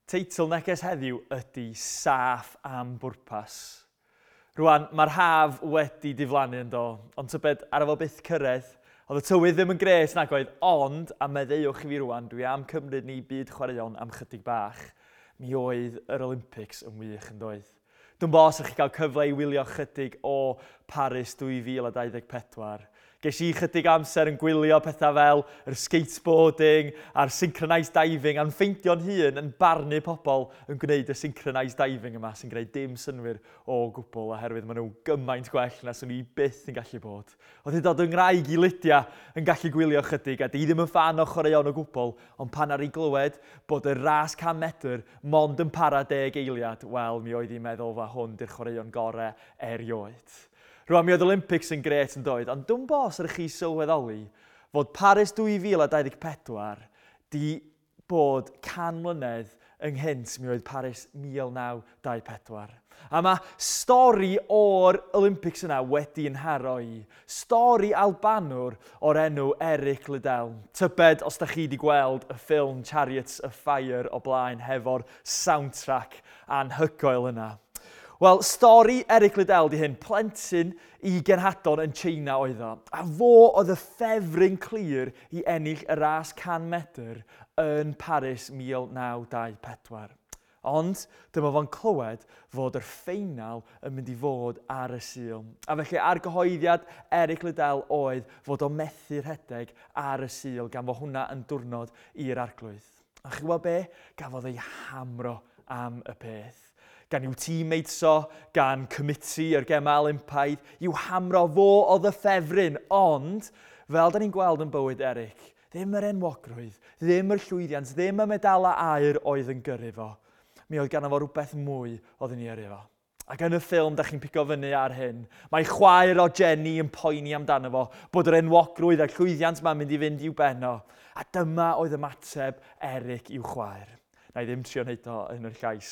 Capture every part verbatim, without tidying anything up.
Teitl neges heddiw ydy Saff am Bwrpas. Rwan, mae'r haf wedi diflannu yn do, ond tybed ar efo byth cyrraedd, oedd y tywydd ddim yn grêt nag oedd, ond, a meddeuwch i fi rwan, dwi am cymryd ni byd chwaraeon am chydig bach, mi oedd yr Olympics yn wych yn doedd. Dwi'n bo os ydych chi gael cyfle i wylio chydig o Paris dwy fil a dau ddeg pedwar. Ges i chydig amser yn gwylio pethau fel yr skateboarding a'r synchronised diving a'n ffeindio'n hun yn barnu pobl yn gwneud y synchronised diving yma sy'n gwneud dim synnwyr o gwbl oherwydd maen nhw gymaint gwell na swn i byth yn gallu bod. Oedd hyd yn oed yng ngwraig i Lydia yn gallu gwylio chydig a di ddim yn ffan o chwaraeon o gwbl, ond pan ar ei glywed bod y ras can medr mond yn para deg eiliad, wel, mi oedd hi'n meddwl fa hwn di'r chwaraeon gorau erioed. Rwan, mi oedd Olympics yn grêt yn doedd, ond dwi'n bo os ydych chi sylweddoli fod Paris dwy fil a dau ddeg pedwar di bod can mlynedd ynghynt mi oedd Paris mil naw dau pedwar. A mae stori o'r Olympics yna wedi yn haro i. Stori Albanwr o'r enw Eric Liddell. Tybed os da chi wedi gweld y ffilm Chariots of Fire o blaen hefo'r soundtrack anhygoel yna. Wel, stori Eric Liddell di hyn, plentyn i genhadon yn China oedd o. A fo oedd y ffefryn clir i ennill y ras can medr yn Paris mil naw dau pedwar. Ond dyma fo'n clywed fod yr ffeinal yn mynd i fod ar y Sul. A felly argyhoeddiad Eric Liddell oedd fod o methu rhedeg ar y Sul gan fod hwnna yn diwrnod i'r arglwydd. A chi weld be? Gafodd ei hamro am y peth. Gan i'w teammates o, gan committee yr Gemau Olympaidd, i'w hamro fo oedd y ffefryn. Ond, fel da ni'n gweld yn bywyd Eric, ddim yr enwogrwydd, ddim yr llwyddiant, ddim y medalau aur oedd yn gyrru fo. Mi oedd ganddo fo rhywbeth mwy oedd yn ei yrru fo. Ac yn y ffilm, da chi'n pigo fyny ar hyn, mae chwaer o Jenny yn poeni amdano fo, bod yr enwogrwydd a'r llwyddiant ma'n mynd i fynd i'w ben o. A dyma oedd ymateb Eric i'w chwaer. Na i ddim trio wneud o yn yr llais,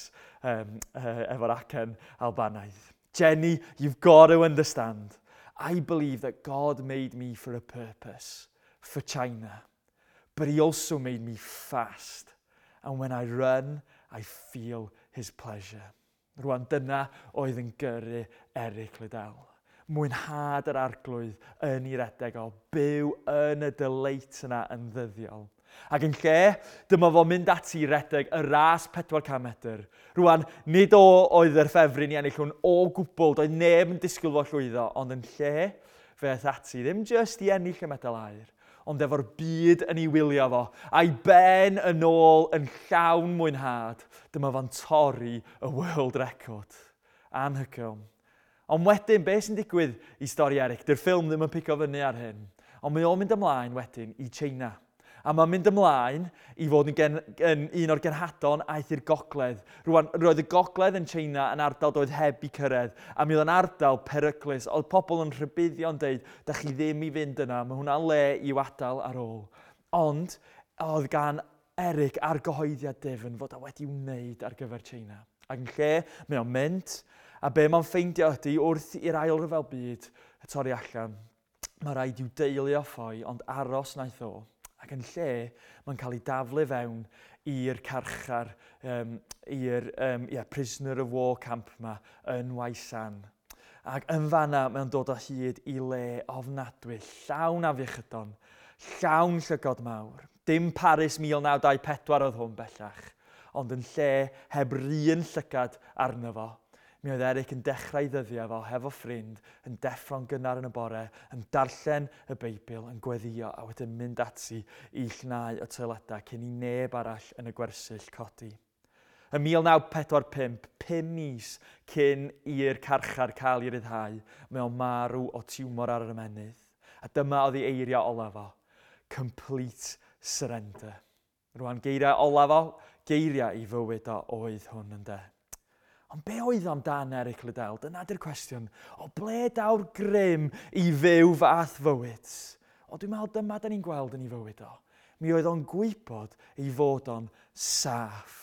um, uh, efo'r acen Albanaidd. Jenny, you've got to understand. I believe that God made me for a purpose, for China. But he also made me fast. And when I run, I feel his pleasure. Rwan, dyna oedd yn gyrru Eric Liddell. Mwynhad yr arglwydd yn ei redeg o, byw yn y delight yna yn ddyddiol. Ac yn lle, dyma fo'n mynd ati i redeg y ras pedwar can medr. Rwan, nid o oedd yr ffefryn i ennill hwn o gwbl, doedd neb yn disgwyl fo llwyddo, ond yn lle, fe aeth ati, ddim jyst i ennill y medal aur, ond efo'r byd yn ei wylio fo, a'i ben yn ôl yn llawn mwynhad, dyma fo'n torri y world record. Anhygoel. Ond wedyn, be sy'n digwydd i stori Eric? Dy'r ffilm ddim yn pigo fyny ar hyn. Ond mae o'n mynd ymlaen wedyn i China. A mae'n mynd ymlaen i fod yn, gen, yn un o'r genhadon aeth i'r gogledd. Rwan, roedd y gogledd yn China yn ardal doedd heb i cyrraedd. A mi oedd yn ardal peryglus. Oedd pobl yn rhybuddio'n deud, da chi ddim i fynd yna, mae hwnna'n le i'w adael ar ôl. Ond oedd gan Eric argyhoeddiad difn fod o wedi wneud ar gyfer China. Ac yn lle, mae o'n mynd, a be mae'n ffeindio ydy wrth i'r ail ryfel byd y torri allan, mae rhaid i'w deulu o ffoi, ond aros wnaeth o. Ac yn lle, mae'n cael ei daflu fewn i'r carchar, um, i'r um, yeah, prisoner of war camp yma yn Waisan. Ac yn fanna, mae'n dod o hyd i le ofnadwy, llawn afiechydon, llawn llygod mawr. Dim Paris mil naw dau pedwar oedd hwn bellach, ond yn lle heb run llygad arno fo. Mi oedd Eric yn dechrau ddyddiau fo hefo ffrind, yn deffro'n gynnar yn y bore, yn darllen y Beibl, yn gweddïo a wedyn mynd ati i llnau y toiledau cyn i neb arall yn y gwersyll codi. Yn mil naw pedwar pump, pum mis cyn i'r carchar cael ei ryddhau, mae o'n marw o tiwmor ar yr ymennydd. A dyma oedd ei eiriau olaf o, complete surrender. Rwan, geiriau olaf o, geiriau i fywyd o oedd hwn ynde. Ond be oedd amdan Eric Liddell? Dyna di'r cwestiwn. O ble daw'r grym i fyw fath fywyd? O, dwi'n meddwl dyma da ni'n gweld yn ei fywyd o. Mi oedd o'n gwybod ei fod o'n saff.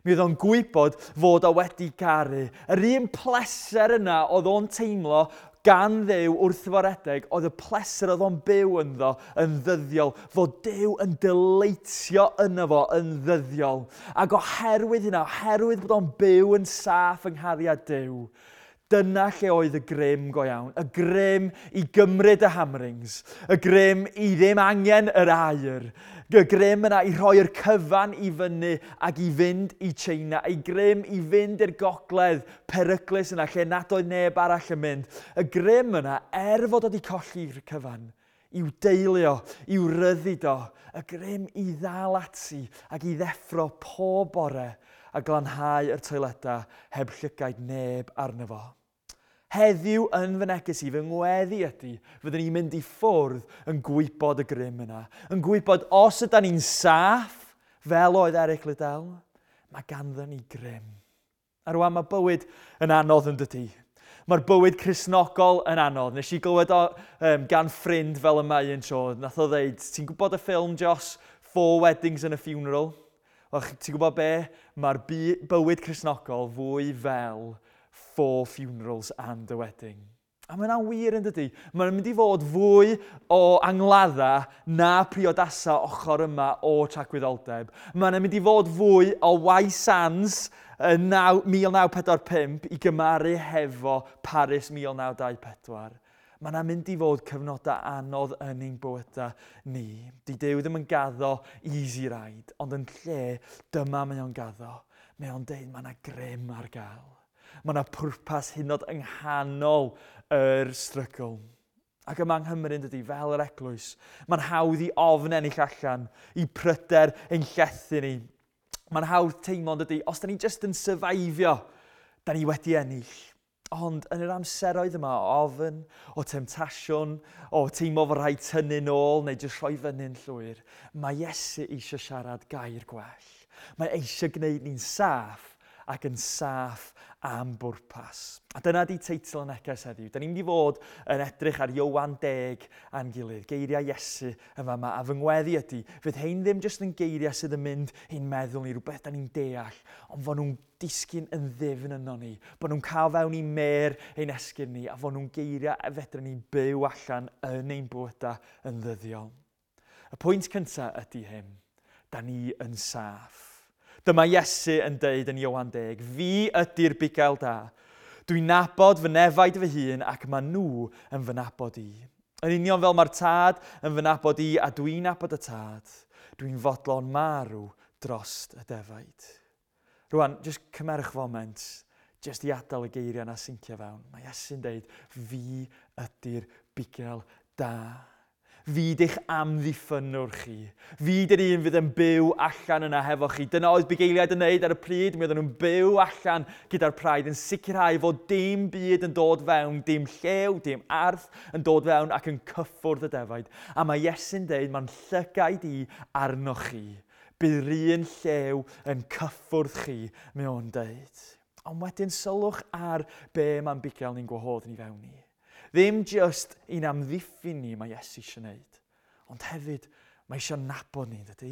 Mi oedd o'n gwybod fod o wedi garu. Yr un pleser yna oedd o'n teimlo gan Dduw wrth fo redeg oedd y pleser oedd o'n byw ynddo yn ddyddiol, fod Duw yn deleitio yno fo yn ddyddiol. Ac oherwydd hynna, oherwydd bod o'n byw yn saff yng nghariad Duw, dyna lle oedd y grym go iawn. Y grym i gymryd y hammerings, y grym i ddim angen yr aur, y grym yna i rhoi'r cyfan i fyny ac i fynd i China, y grym i fynd i'r gogledd peryglus yna lle nad oedd neb arall yn mynd. Y grym yna, er fod wedi colli'r cyfan, i'w deulu o, i'w ryddid o, y grym i ddal ati ac i ddeffro pob bore a glanhau yr toiledau heb llygaid neb arno fo. Heddiw yn fy neges i, fy ngweddi ydy, fyddwn ni'n mynd i ffwrdd yn gwybod y grym yna. Yn gwybod os ydy ni'n saff, fel oedd Eric Liddell, mae ganddo ni grym. A rwan mae bywyd yn anodd yn dydy. Mae'r bywyd Cristnogol yn anodd. Nes i glywed o um, gan ffrind fel yma un tro. Nath o ddeud, ti'n gwybod y ffilm, Jos? Four Weddings and a Funeral? Wel, ti'n gwybod be? Mae'r bywyd Cristnogol fwy fel Four Funerals and a Wedding. A mae hwnna'n wir yn dydy. Mae'n mynd i fod fwy o angladda na priodasa ochr yma o tragwyddoldeb. Mae'n mynd i fod fwy o White Sands yn mil naw pedwar pump i gymaru hefo Paris mil naw dau pedwar. Mae yna mynd i fod cyfnodau anodd yn ein bywydau ni. Di Duw ddim yn gaddo easy ride, ond yn lle dyma mae o'n gaddo. Mae o'n deud mae yna grym ar gael. Mae yna pwrpas hyd yn oed yng nghanol yr strygl. Ac yma yng Nghymru yn dydy, fel yr eglwys, mae'n hawdd i ofn ennill allan, i pryder ein llethu ni. Mae'n hawdd teimlo yn dydy, os da ni jyst yn survivio, da ni wedi ennill. Ond yn yr amseroedd yma o ofn, o temtasiwn, o teimlo fod rhaid tynnu nôl neu jyst rhoi fyny'n llwyr, mae Iesu eisiau siarad gair gwell. Mae eisiau gwneud ni'n saff ac yn saff am bwrpas. A dyna di teitl y neges heddiw. Da ni'n mynd i fod yn edrych ar Ioan deg a'n gilydd, geiriau Iesu yn fama. A fy ngweddi ydy, fydd hein ddim jyst yn geiriau sydd yn mynd i'n meddwl ni, rhywbeth da ni'n deall, ond fod nhw'n disgyn yn ddyfn yno ni, bod nhw'n cael fewn i mer ein esgyrn ni, a fod nhw'n geiriau a fedrwn ni byw allan yn ein bywydau yn ddyddiol. Y pwynt cyntaf ydy hyn, da ni yn saff. Dyma Iesu yn deud yn Ioan deg, fi ydy'r bugail da. Dwi'n nabod fy nefaid fy hun ac mae nhw yn fy nabod i. Yn union fel mae'r tad yn fy nabod i a dwi'n nabod y tad, dwi'n fodlon marw drost y defaid. Rwan, jyst cymerwch foment, jyst i adael y geiriau na sincio fewn. Mae Iesu'n deud, fi ydy'r bugail da. Fi di'ch amddiffynwr chi. Fi di'r un fydd yn byw allan yna hefo chi. Dyna oedd bugeiliaid yn neud ar y pryd. Mi oedden nhw'n byw allan gyda'r praidd yn sicrhau fod dim byd yn dod fewn, dim llew, dim arth yn dod fewn ac yn cyffwrdd y defaid. A mae Iesu'n deud, mae'n llygaid i arnoch chi. Bydd yr un llew yn cyffwrdd chi, mae o'n deud. Ond wedyn sylwch ar be mae'n bugail ni'n gwahodd ni fewn i. Ddim just i'n amddiffyn ni mae Iesu eisiau gwneud, ond hefyd mae eisiau nabod ni, dydy?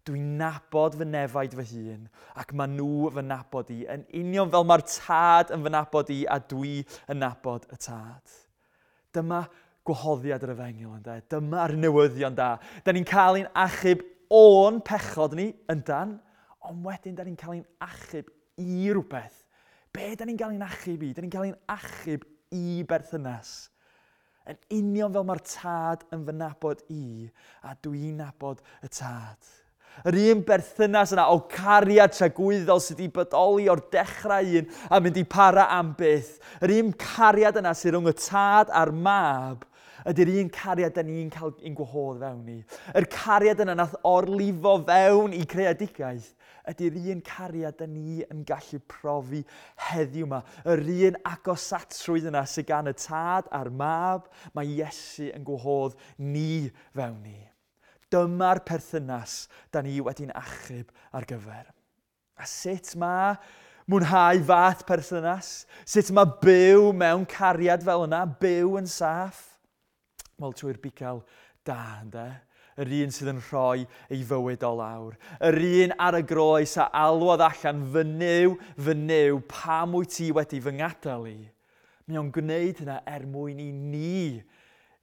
Dwi'n nabod fy nefaid fy hun ac mae nhw fy nabod i, yn union fel mae'r tad yn fy nabod i a dwi yn nabod y tad. Dyma gwahoddiad yr efengyl, ynde? Dyma'r newyddion da. Da ni'n cael ein achub o'n pechod ni, yndan, ond wedyn da ni'n cael ein achub i rhywbeth. Be da ni'n cael ein achub i? Da ni'n cael ein achub i berthynas. Yn union fel mae'r tad yn fy nabod i, a dwi'n nabod y tad. Yr un berthynas yna o cariad tragwyddol sydd wedi bodoli o'r dechrau un a mynd i para am byth. Yr un cariad yna sydd rhwng y tad a'r mab ydy'r un cariad da ni'n cael ein gwahodd fewn i. Yr cariad yna nath orlifo fewn i creadigaeth ydy'r un cariad da ni yn gallu profi heddiw yma. Yr un agosatrwydd yna sydd gan y tad a'r mab, mae Iesu yn gwahodd ni fewn i. Dyma'r perthynas da ni wedi'n achub ar gyfer. A sut mae mwynhau fath perthynas? Sut mae byw mewn cariad fel yna, byw yn saff? Wel, trwy'r bugail da, ynde? Yr un sydd yn rhoi ei fywyd o lawr. Yr un ar y groes a alwodd allan, fy Nuw, fy Nuw, pam wyt ti wedi fy ngadael i? Mae o'n gwneud hynna er mwyn i ni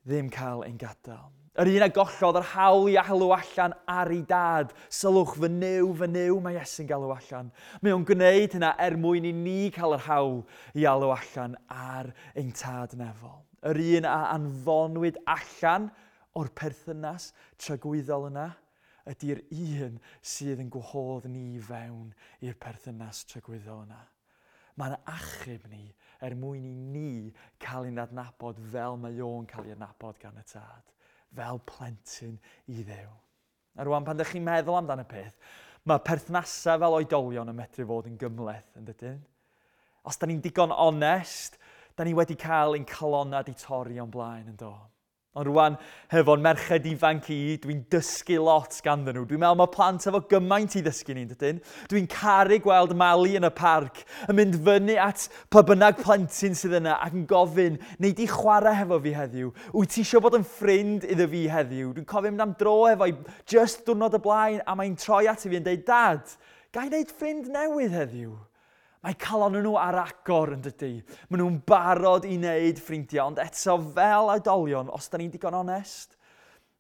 ddim cael ein gadael. Yr un a gollodd yr hawl i alw allan ar ei dad. Sylwch, fy Nuw, fy Nuw, mae Iesu'n galw allan. Mae o'n gwneud hynna er mwyn i ni cael yr hawl i alw allan ar ein tad nefol. Yr un a anfonwyd allan o'r perthynas tragwyddol yna ydy'r un sydd yn gwahodd ni fewn i'r perthynas tragwyddol yna. Mae'n achub ni er mwyn i ni cael ein adnabod fel mae o'n cael ei adnabod gan y tad. Fel plentyn i Dduw. A rwan, pan ydych chi'n meddwl amdan y peth, mae perthnasau fel oedolion yn medru fod yn gymhleth, yn dydyn? Os da ni'n digon onest, da ni wedi cael ein calonnau di torri o'n blaen, yn do. Ond rwan, hefo'n merched ifanc i, dwi'n dysgu lot ganddyn nhw. Dwi'n meddwl mae plant efo gymaint i ddysgu ni, dydyn? Dwi'n caru gweld Mali yn y parc, yn mynd fyny at pa bynnag plentyn sydd yna ac yn gofyn, nei di chwarae hefo fi heddiw? Wyt ti eisiau bod yn ffrind iddo fi heddiw? Dwi'n cofio mynd am dro efo i just diwrnod y blaen, a mae'n troi at i fi yn dweud, Dad, ga i wneud ffrind newydd heddiw? Mae calon nhw ar agor, yn dydy. Maen nhw'n barod i wneud ffrindiau, ond eto fel oedolion, os da ni'n digon onest,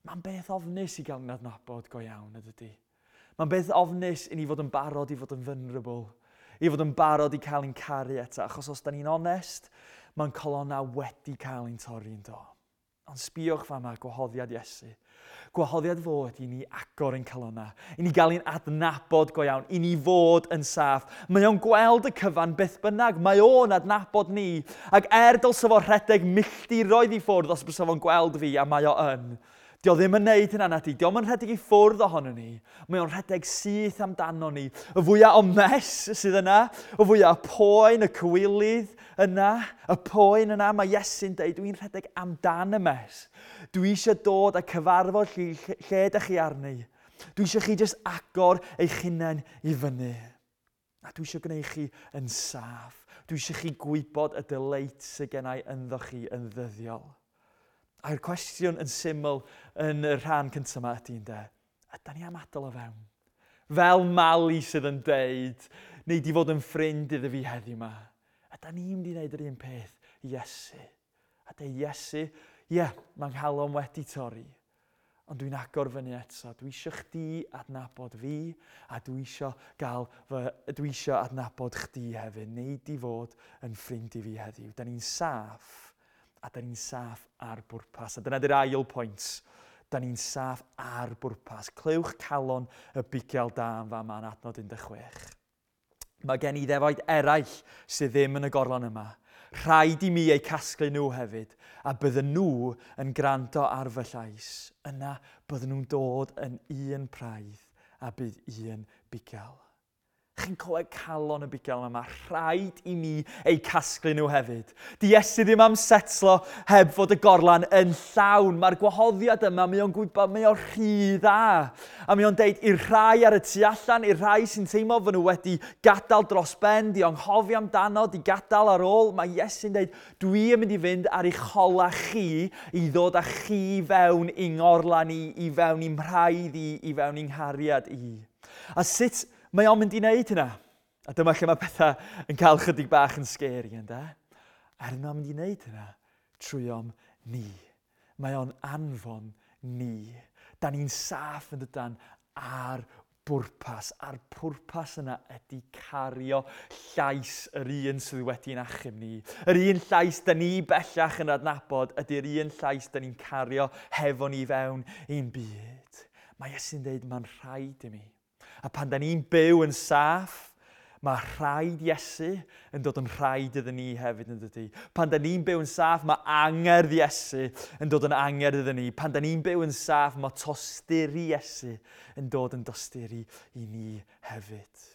mae'n beth ofnus i gael yn adnabod go iawn, yn dydy. Mae'n beth ofnus i ni fod yn barod i fod yn vulnerable, i fod yn barod i cael ein caru eto, achos os da ni'n onest, mae'n colonnau wedi cael ein torri yn do. Ond sbiwch fama, gwahoddiad Iesu. Gwahoddiad fod i ni agor ein calonnau, i ni gael ein adnabod go iawn, i ni fod yn saff. Mae o'n gweld y cyfan beth bynnag, mae o'n adnabod ni. Ac er dylse fo rhedeg milltiroedd i ffwrdd os bysa fo'n gweld fi, a mae o yn. Dio ddim yn neud hynna nadi, dio yn rhedeg i ffwrdd ohono ni. Mae o'n rhedeg syth amdano ni. Y fwyaf o mess sydd yna, y fwyaf o poen, y cywilydd yna, y poen yna, mae Iesu'n deud, dwi'n rhedeg amdan y mess. Dwi eisiau dod a cyfarfod lle, lle ydych chi arni. Dwi eisiau chi jyst agor eich hunain i fyny. A dwi eisiau gwneud chi yn saff. Dwi eisiau chi gwybod y delight sydd gennau ynddo chi yn ddyddiol. A'r cwestiwn yn syml yn y rhan cyntaf yma ydy, ynde, ydy ni am adael o fewn? Fel Mali sydd yn deud, neu di fod yn ffrind iddo fi heddiw yma. Ydy ni'n mynd i wneud yr un peth i Iesu? A deud, Iesu, ie, yeah, mae'n nghalon wedi torri, ond dwi'n agor fyny eto. Dwi eisiau chdi adnabod fi, a dwi eisiau gael fy, dwi eisiau adnabod chdi hefyd. Neu di fod yn ffrind i fi heddiw. Da ni'n saff, a da ni'n saff ar bwrpas. A dyna di'r ail pwynt. Da ni'n saff ar bwrpas. Clywch calon y bugail da yn fama yn adnod un deg chwech. Mae gen i ddefaid eraill sydd ddim yn y gorlan yma. Rhaid i mi eu casglu nhw hefyd, a bydden nhw yn gwrando ar fy llais. Yna bydden nhw'n dod yn un praidd a bydd un bugail. Chi'n clywed calon y bugail yma, mae rhaid i mi eu casglu nhw hefyd. Di Iesu ddim am setlo heb fod y gorlan yn llawn. Mae'r gwahoddiad yma, mae o'n gwybod, mae o'n rhy dda. A mae o'n deud i'r rhai ar y tu allan, i'r rhai sy'n teimlo fod nhw wedi gadael dros ben, di anghofio amdano, di gadael ar ôl. Mae Iesu'n deud, dwi yn mynd i fynd ar eich hola chi i ddod â chi fewn i ngorlan i, i fewn i'n mhraidd i, i fewn i'n nghariad i. A sut mae o'n mynd i wneud hynna? A dyma lle mae pethau yn cael chydig bach yn scary, ynde? Er mae'n mynd i wneud hynna trwy om ni. Mae o'n anfon ni. Da ni'n saff yn dydan ar bwrpas. A'r pwrpas yna ydy cario llais yr un sydd wedi'n achub ni. Yr un llais da ni bellach yn adnabod ydy'r un llais da ni'n cario hefo ni fewn i'n byd. Mae Iesu'n dweud, mae'n rhaid i mi. A pan da ni'n byw yn saff, mae rhaid Iesu yn dod yn rhaid iddyn ni hefyd, yn dydy. Pan da ni'n byw yn saff, mae angerdd Iesu yn dod yn angerdd iddyn ni. Pan da ni'n byw yn saff, mae tosturi Iesu yn dod yn dosturi i ni hefyd.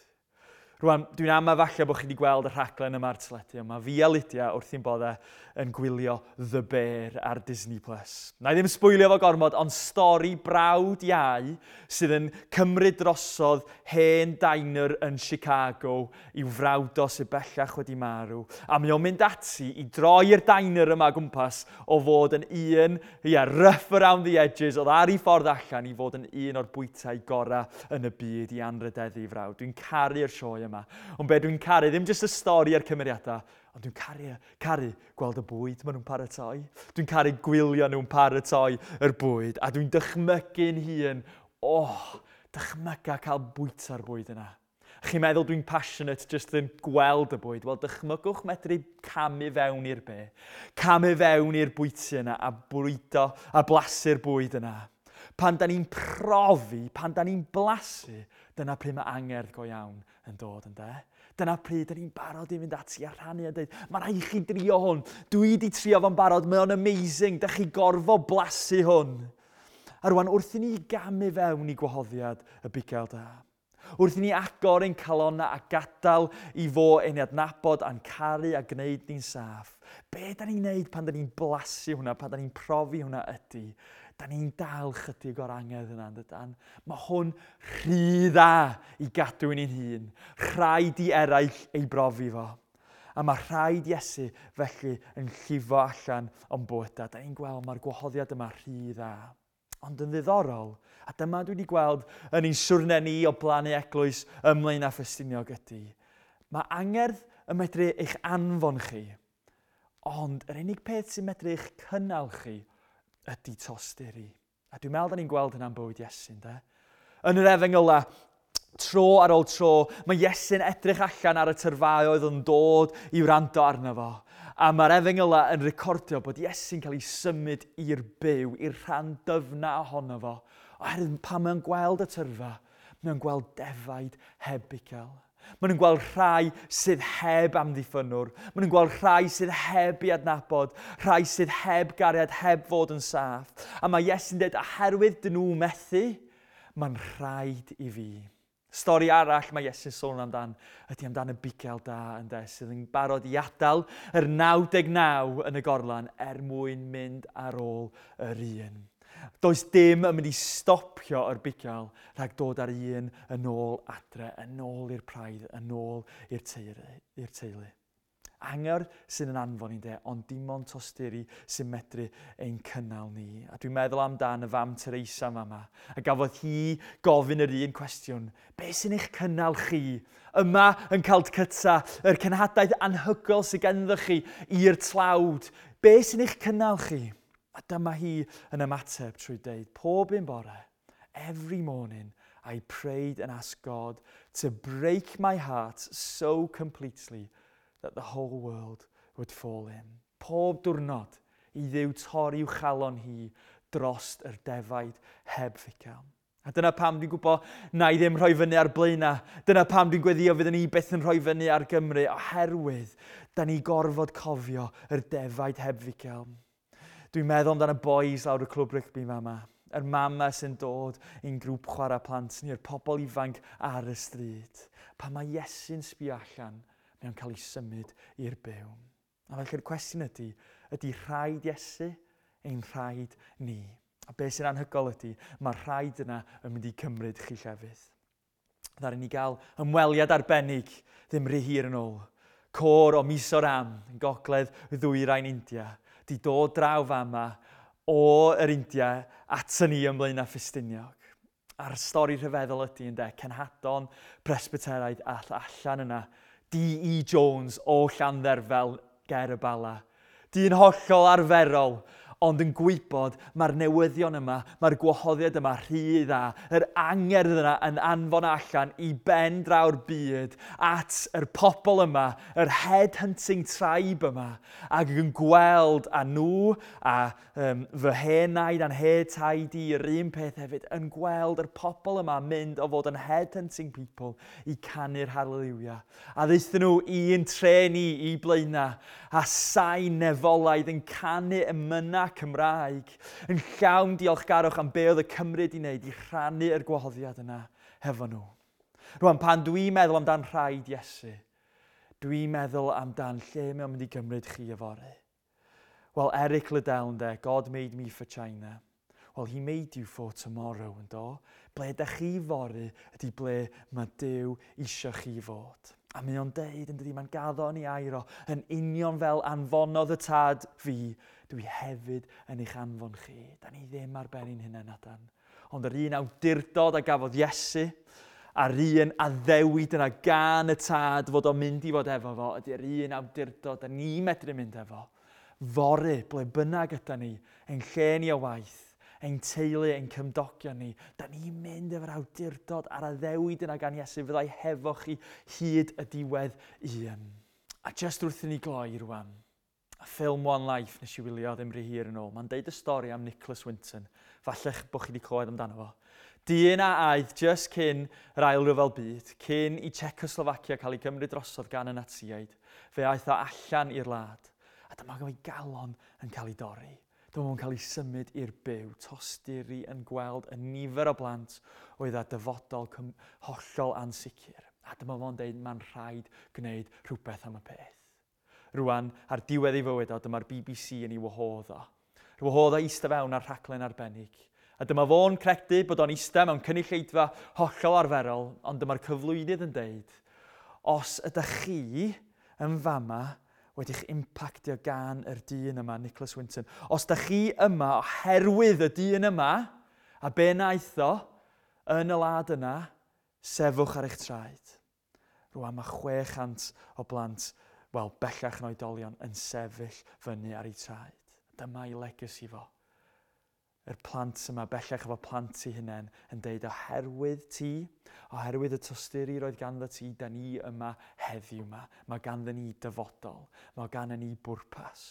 Rwan, dwi'n ama falle bod chi wedi gweld y rhaglen yma ar teledu, ond mae fi a Lydia wrth i'n boddau yn gwylio The Bear ar Disney Plus. Na i ddim sbwylio fo gormod, ond stori brawd iau sydd yn cymryd drosodd hen diner yn Chicago i'w frawd o sydd bellach wedi marw. A mae o'n mynd ati i droi'r diner yma gwmpas o fod yn un, yeah, rough around the edges, oedd ar ei ffordd allan i fod yn un o'r bwytau gorau yn y byd i anrhydeddu frawd. Dwi'n caru'r sioe sioe yma. Ond be dwi'n caru, ddim jyst y stori a'r cymeriadau, ond dwi'n caru, caru gweld y bwyd maen nhw'n paratoi. Dwi'n caru gwylio nhw'n paratoi yr bwyd, a dwi'n dychmygu'n hun, oh, dychmyga cael bwyta'r bwyd yna. Chi'n meddwl dwi'n passionate jyst yn gweld y bwyd? Wel, dychmygwch medru camu fewn i'r be. Camu fewn i'r bwyty yna a bwydo a blasu'r bwyd yna. Pan da ni'n profi, pan da ni'n blasu, dyna pryd mae angerdd go iawn yn dod, ynde? Dyna pryd da ni'n barod i fynd ati a rhannu a dweud, "Mae rhaid i chi drio hwn. Dwi wedi trio fo'n barod, mae o'n amazing, da chi gorfod blasu hwn." A rwan, wrth i ni gamu fewn i gwahoddiad y bugail da, wrth i ni agor ein calonna a gadael i fo ein adnabod a'n caru a gwneud ni'n saff, be da ni'n neud pan da ni'n blasu hwnna, pan da ni'n profi hwnna ydy, da ni'n dal chydig o'r angerdd yna, dydan? Mae hwn rhy dda i gadw i ni'n hun. Rhaid i eraill ei brofi fo. A mae rhaid Iesu felly yn llifo allan o'n bywydau. Da ni'n gweld mae'r gwahoddiad yma rhy dda. Ond yn ddiddorol, a dyma dwi wedi gweld yn ein siwrne ni o blannu eglwys ym Mlaenau Ffestiniog ydy, mae angerdd yn medru eich anfon chi, ond yr unig peth sy'n medru eich cynnal chi ydy tosturi. A dwi'n meddwl da ni'n gweld hynna'n bywyd Iesu, de? Yn yr efengyla, tro ar ôl tro, mae Iesu'n edrych allan ar y tyrfaoedd yn dod i wrando arno fo. A mae'r efengyla yn recordio bod Iesu'n cael ei symud i'r byw, i'r rhan dyfna ohono fo. Oherwydd pan mae'n gweld y tyrfa, mae'n gweld defaid heb bugail. Maen nhw'n gweld rhai sydd heb amddiffynwr. Maen nhw'n gweld rhai sydd heb i adnabod, rhai sydd heb gariad, heb fod yn saff. A mae Iesu'n dweud, oherwydd dyn nhw methu, mae'n rhaid i fi. Stori arall mae Iesu'n sôn amdan ydy amdan y bugail da, ynde, sydd yn barod i adael yr naw deg naw yn y gorlan er mwyn mynd ar ôl yr un. Does dim yn mynd i stopio yr bugail rhag dod ar un yn ôl adre, yn ôl i'r praidd, yn ôl i'r teulu. I'r teulu. Angerdd sy'n yn anfon ni, de, ond dim ond tosturi sy'n medru ein cynnal ni. A dwi'n meddwl amdan y fam Teresa yma, a gafodd hi gofyn yr un cwestiwn. Be sy'n eich cynnal chi? Yma yn Calcutta, yr cenhadaeth anhygoel sydd ganddo chi i'r tlawd. Be sy'n eich cynnal chi? A dyma hi yn ymateb trwy deud, "Pob un bore, every morning, I prayed and asked God to break my heart so completely that the whole world would fall in." Pob diwrnod i Dduw torri i'w chalon hi drost yr defaid heb fugail. A dyna pam dwi'n gwybod na i ddim rhoi fyny ar Blaenau. Dyna pam dwi'n gweddio fyddwn ni byth yn rhoi fyny ar Gymru, oherwydd da ni gorfod cofio yr defaid heb fugail. Dwi'n meddwl amdano y boys lawr y clwb rygbi fama. Yr mama sy'n dod i'n grŵp chwarae plant ni, yr pobl ifanc ar y stryd. Pan mae Iesu'n sbio allan, mae o'n cael ei symud i'r byw. A felly'r cwestiwn ydy, ydy rhaid Iesu ein rhaid ni? A beth sy'n anhygoel ydy, mae'r rhaid yna yn mynd i cymryd chi llefydd. Ddaru ni gael ymweliad arbennig ddim rhy hir yn ôl. Côr o Mizoram yn gogledd ddwyrain India di dod draw fama o yr India at ni ym Mlaenau Ffestiniog. A'r stori rhyfeddol ydy, ynde, cenhadon Presbyteraidd all allan yna, D E. Jones o Llandderfel ger y Bala. Dyn hollol arferol, ond yn gwybod mae'r newyddion yma, mae'r gwahoddiad yma rhy dda, yr angerdd yna yn anfon allan i ben draw'r byd at yr pobl yma, yr head-hunting tribe yma, ac yn gweld a nhw a um, fy hen naid a'n hen taid i yr un peth hefyd, yn gweld yr pobl yma mynd o fod yn head-hunting people i canu'r hallelujah. A ddaethon nhw i'n tre ni i Blaenau a sain nefolaidd yn canu emynau Cymraeg, yn llawn diolchgarwch am be oedd y Cymry wedi wneud i rhannu yr gwahoddiad yna hefo nhw. Rwan, pan dwi'n meddwl amdan rhaid Iesu, dwi'n meddwl amdan lle mae o'n mynd i gymryd chi yfory. Wel, Eric Liddell, ynde, "God made me for China." Well, he made you for tomorrow, yn do? Ble ydych chi fory ydy ble mae Duw eisiau chi fod. A mae o'n deud, yn dydi, mae'n gaddo yn ei air o, yn union fel anfonodd y Tad fi, dwi hefyd yn eich anfon chi. Da ni ddim ar ben ein hunain, adan. Ond yr un awdurdod a gafodd Iesu, A'r un addewid yna gan y Tad fod o'n mynd i fod efo fo, ydy'r un awdurdod da ni medru mynd efo. Fory, ble bynnag yda ni, ein lle ni o waith, ein teulu, ein cymdogion ni, da ni'n mynd efo'r awdurdod a'r addewid yna gan Iesu fyddai hefo chi hyd y diwedd un. A jyst wrth i ni gloi rwan, a ffilm One Life nes i wylio ddim rhy hir yn ôl, mae'n deud y stori am Nicholas Winton. Falle bod chi wedi clywed amdano fo. Dyn a aeth jyst cyn yr Ail Ryfel Byd, cyn i Czechoslovacia cael ei gymryd drosodd gan y Natsiaid, fe aeth o allan i'r wlad. A dyma ei galon yn cael ei dorri. Dyma fo'n cael ei symud i'r byw, tosturi yn gweld y nifer o blant oedd â dyfodol hollol ansicr. A dyma fo'n deud, mae'n rhaid gwneud rhywbeth am y peth. Rwan, ar diwedd ei fywyd o, dyma'r B B C yn ei wahodd o. Wahodd o eistedd fewn ar rhaglen arbennig. A dyma fo'n credu bod o'n eistedd mewn cynulleidfa hollol arferol, ond dyma'r cyflwynydd yn deud, "Os ydych chi yn fama wedi'ch impactio gan yr dyn yma, Nicholas Winton, os ydych chi yma oherwydd y dyn yma, a be wnaeth o yn y wlad yna, sefwch ar eich traed." Rwan mae chwe chant o blant, wel, bellach yn oedolion, yn sefyll fyny ar eu traed. Dyma ei legacy fo. Yr plant yma, bellach efo plant eu hunain, yn deud, "Oherwydd ti, oherwydd y tosturi roedd ganddo ti, da ni yma heddiw yma. Mae ganddo ni dyfodol. Mae ganddo ni bwrpas."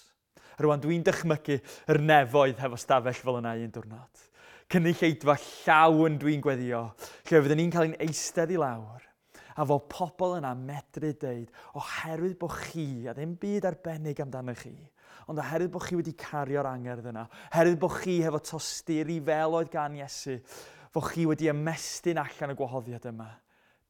Rwan, dwi'n dychmygu yr nefoedd hefo stafell fel yna un diwrnod. Cynulleidfa llawn dwi'n gweddio, lle fyddwn ni'n cael ein eistedd i lawr a fod pobl yna medru deud, "Oherwydd bod chi, a ddim byd arbennig amdano chi, ond oherwydd bod chi wedi cario'r angerdd yna, oherwydd bod chi hefo tosturi fel oedd gan Iesu, fod chi wedi ymestyn allan y gwahoddiad yma,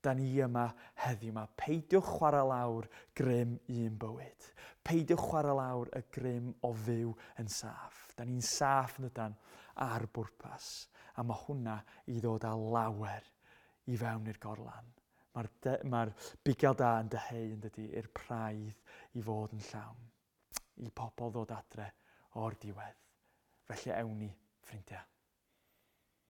da ni yma heddiw yma." Peidiwch chwarae lawr grym un bywyd. Peidiwch chwarae lawr y grym o fyw yn saff. Da ni'n saff yn dydan ar bwrpas. A mae hwnna i ddod â lawer i fewn i'r gorlan. Mae'r mae bugail da yn dyheu yn dydy i'r praidd i fod yn llawn. I pobl ddod adre o'r diwedd. Felly ewn ni, ffrindiau.